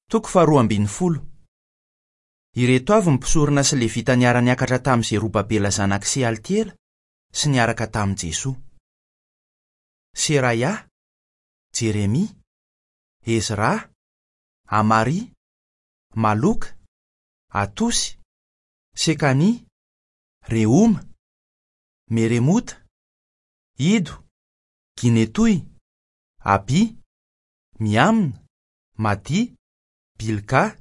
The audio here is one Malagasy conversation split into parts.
Toko faharoa ambin'ny folo. Ireto avy ny mpisorona sy Levita niara-niakatra tamin'i Zerobabela zanak'i Sealtiela sy niaraka tamin'i Jesoa. Seraia, Jeremia, Ezra, Amaria, Maloka, Atosy, Sekania, Rehoma, Meremota, Ido, Ginetoy, Abia, Miamina, Madia, Bilga,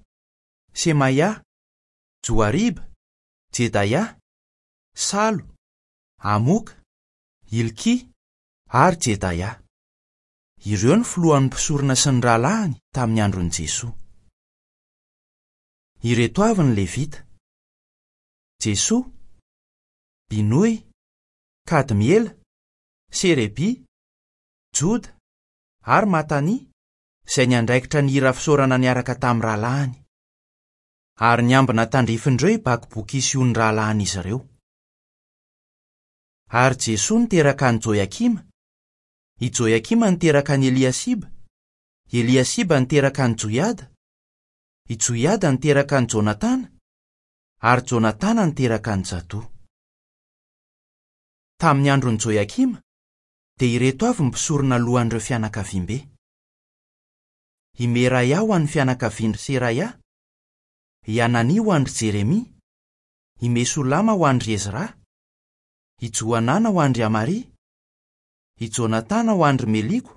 Semaia, Joariba, Jedaia, Salo, Amoka, Hilkia ary Jedaia. Ireo no filohan'ny mpisorona sy ny rahalahiny tamin'ny andron'i Jesoa. Ireto avy ny Levita, Jesoa, Binoy, Kadmiela, Serebia, Joda ary Matania, izay niandraikitra ny hira fisaorana niaraka tamin'ny rahalahiny. Ary niambina tandrifin'ireo i Bakbokia sy Ony rahalahin'izy ireo. Ary Jesoa niteraka an'i Joiakima, i Joiakima niteraka an'i Eliasiba, Eliasiba niteraka an'i Joiada, i Joiada niteraka an'i Jonatana, ary Jonatana niteraka an'i Jadoa. Tamin'ny andron'i Joiakima, dia ireto avy ny mpisorona lohan'ireo fianakaviambe. I Meraia ho an'ny fianakavian-dry Seraia, i Hanania ho an-dry Jeremia, i Mesolama ho an-dry Ezra, i Johanana ho an-dry Amaria, i Jonatana ho an-dry Meliko,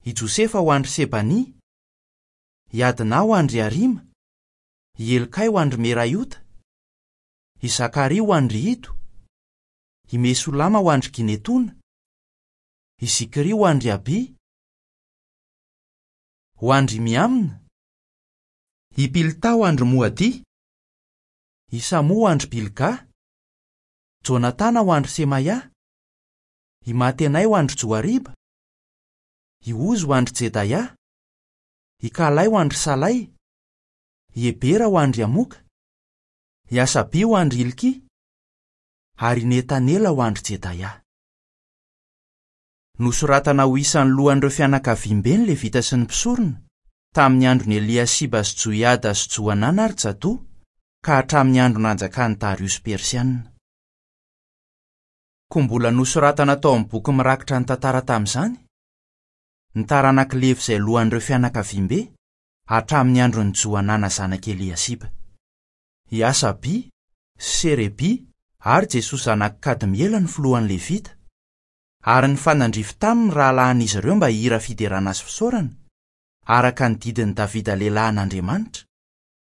i Josefa ho an-dry Sebania, i Adna ho an-dry Harima, i Helkay ho an-dry Meraiota, i Zakaria ho an-dry Ido, i Mesolama ho an-dry Ginetona, i Zikry ho an-dry Abia, ho an-dry Miamina, i Pilta ho an-dry Moadia, i Samoa ho an-dry Bilga, Jonatana ho an-dry Semaia, i Matenay ho an-dry Joariba, i Ozy ho an-dry Jedaia, i Kalay ho an-dry Salay, i Hebera ho an-dry Amoka, i Hasabia ho an-dry Hilkia, ary i Netanela ho an-dry Jedaia. Nosoratana ho isan'ny lohan'ireo fianakaviambe ny Levita sy ny mpisorona, tamin'ny andron'i Eliasiba sy Joiada sy Johanana ary Jadoa, ka hatramin'ny andro nanjakan'i Dariosy Persianina. Koa mbola nosoratana tao amin'ny boky mirakitra ny tantara tamin'izany, ny taranak'i Levy izay lohan'ireo fianakaviambe, hatramin'ny andron'i Johanana zanak'i Eliasiba. I Hasabia, sy Serebia ary Jesoa zanak'i Kadmiela no filohan'ny Levita, ary nifanandrify taminy ny rahalahin'izy ireo mba hihira fiderana sy fisaorana, araka ny didin'i Davida lehilahin'Andriamanitra,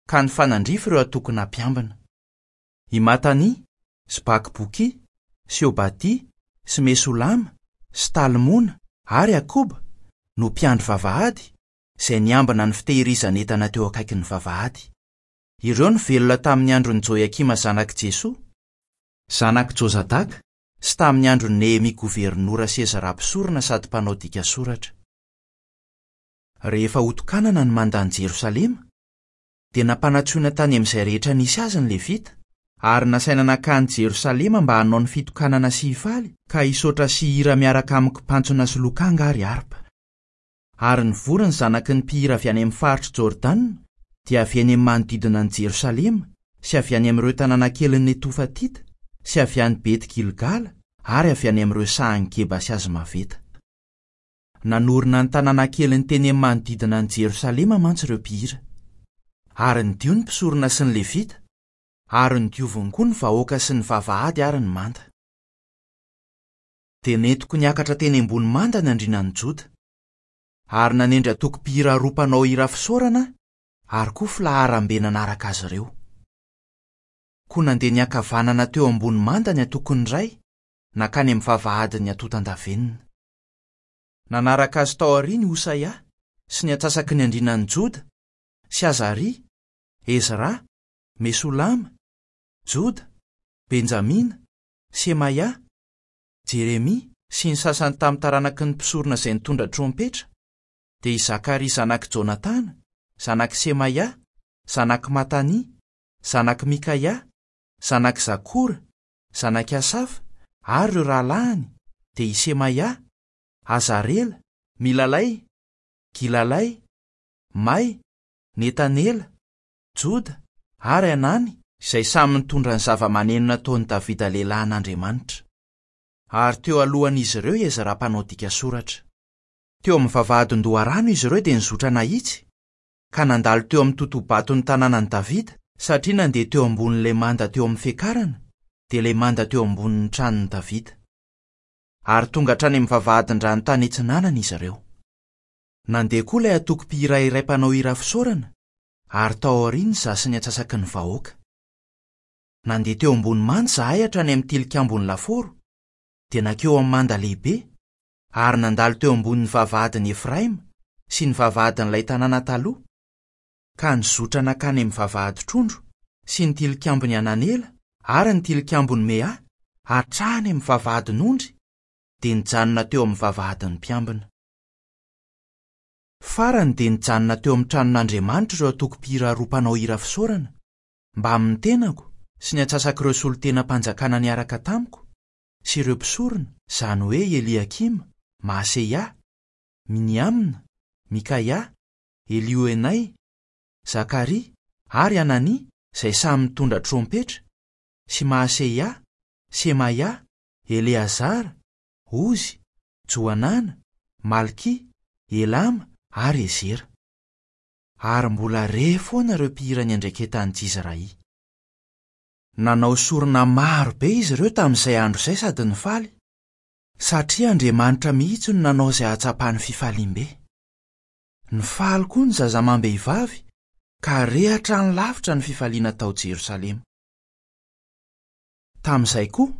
ka nifanandrify ireo antokona mpiambina. I Matania, sy Bakbokia, sy Obadia, sy Mesolama, sy Talmona ary Akoba no mpiandry vavahady, izay niambina ny fitehirizan'entana teo akaikin'ny vavahady. Ireo no velona tamin'ny andron'i Joiakima zanak'i Jesoa, zanak'i Jozadaka, sy tamin'ny andron'i Nehemia governora sy Ezra mpisorona sady mpanao dika soratra. Rehefa hotokanana ny mandan'i Jerosalema, dia nampanantsoina tany amin'izay rehetra nisy azy ny Levita, ary nasaina nankany Jerosalema mba hanao ny fitokanana sy hifaly ka hisaotra sy hihira miaraka amin'ny kipantsona sy lokanga ary harpa. Ary nivory ny zanaky ny mpihira avy any amin'ny faritr'i Jordana, dia avy eny amin'ny manodidina an'i Jerosalema, sy avy any amin'ireo tanàna kelin'i Netofatita, sy avy any Beti-gilgala, ary avy any amin'ireo sahan'i Geba sy Azmaveta. Nanorina ny tanàna keliny teny amin'ny manodidina an'i Jerosalema mantsy ireo mpihira. Ary nidio ny mpisorona sy ny Levita, ary nodioviny koa ny vahoaka sy ny vavahady ary ny manda. Dia nentiko niakatra teny ambony manda ny andrianan'i Joda. Ary nanendry antoko mpihira roa mpanao hira fisaorana aho, ary koa filaharam-be nanaraka azy ireo. Koa nandeha niankavanana teo ambony manda ny antokon'ny iray, nankany amin'ny vavahadin'ny antontan-davenona. Nanaraka azy tao aoriany i Hosaia sy ny antsasaky ny andrianan'i Joda, sy Azaria, Ezra, Mesolama, Joda, Benjamina, Semaia, Jeremia sy ny sasany tamin'ny taranaky ny mpisorona izay nitondra trompetra, dia i Zakaria zanak'i Jonatana, zanak'i Semaia, zanak'i Matania, zanak'i Mikaia, zanak'i Zakora, zanak'i Asafa, ary ireo rahalahiny, dia i Semaia, Azarela, Milalay, Gilalay, May, Netanela, Joda ary Hanany izay samy nitondra ny zava-maneno nataon'i Davida lehilahin'Andriamanitra. Ary teo alohan'izy ireo i Ezra mpanao dika soratra. Teo amin'ny vavahadin-doharano izy ireo dia nizotra nahitsy, ka nandalo teo amin'ny totohabaton'ny tanànan'i Davida, satria nandeha teo ambonin'ilay manda teo amin'ny fiakarana, dia ilay manda teo ambonin'ny tranon'i Davida. Ary tonga hatrany amin'ny vavahadin-drano tany atsinanana izy ireo. Nandeha koa ilay antoko mpihira iray mpanao hira fisaorana, ary tao aoriany izaho sy ny antsasaky ny vahoaka. Nandeha teo ambony manda izahay hatrany amin'ny tilikambon'ny lafaoro, dia nankeo amin'ny manda lehibe, ary nandalo teo ambonin'ny vavahadin'i Efraima sy ny vavahadin'ilay tanàna taloha, ka nizotra nankany amin'ny vavahadin-trondro sy ny tilikambon'i Hananela ary ny tilikambon'i Mea hatrany amin'ny vavahadin'ondry, dia nijanona teo amin'ny vavahadin'ny mpiambina. Farany dia nijanona teo amin'ny tranon'Andriamanitra ireo antoko-mpihira roa mpanao hira fisaorana, mbamin'ny tenako sy ny antsasak'ireo solontenam-panjakana niaraka tamiko, sy ireo mpisorona, izany hoe Eliakima, Maaseia, Miniamina, Mikaia, Elioenay, Zakaria ary Hanania izay samy nitondra trompetra, sy Maaseia, Semaia, Eleazara, Ozy, Johanana, Malkia, Elama ary Ezera. Ary mbola re foana ireo mpihira niandraiketan'i Jizrahia. Nanao sorona maro be izy ireo tamin'izay andro izay sady nifaly, satria Andriamanitra mihitsy no nanao izay hahatsapany fifaliam-be. Nifaly koa ny zaza amam-behivavy, ka re hatrany lavitra ny fifaliana tao Jerosalema. Tamin'izay koa,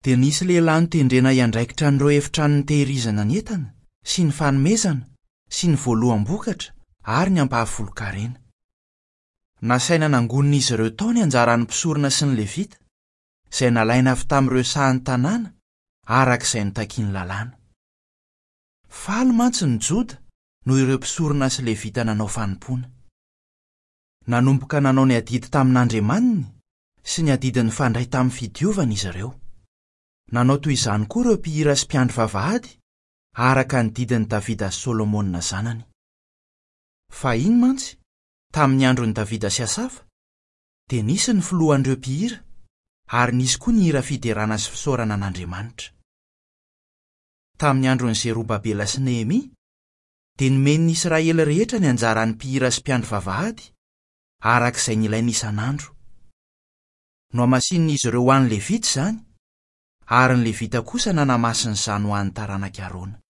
dia nisy lehilahy notendrena hiandraikitra an'ireo efitrano nitehirizana ny entana sy ny fanomezana sy ny voaloham-bokatra ary ny ampahafolon-karena. Nasaina nangonin'izy ireo tao ny anjaran'ny mpisorona sy ny Levita, izay nalaina avy tamin'ireo sahan'ny tanàna, araka izay notakin'ny Lalàna. Faly mantsy ny Joda noho ireo mpisorona sy Levita nanao fanompoana. Nanomboka nanao ny adidy tamin'Andriamaniny sy ny adidy nifandray tamin'ny fidiovana izy ireo. Nanao toy izany koa ireo mpihira sy mpiandry vavahady, araka ny didin'i Davida sy Solomona zanany. Fahiny mantsy, tamin'ny andron'i Davida sy Asafa, dia nisy ny filohan'ireo mpihira, ary nisy koa ny hira fiderana sy fisaorana an'Andriamanitra. Tamin'ny andron'i Zerobabela sy Nehemia, dia nomen'ny Israely rehetra ny anjaran'ny mpihira sy mpiandry vavahady, araka izay nilainy isan'andro. Nohamasinin'izy ireo ho an'ny Levita izany, ary ny Levita kosa nanamasina izany ho an'ny taranak'i Arona.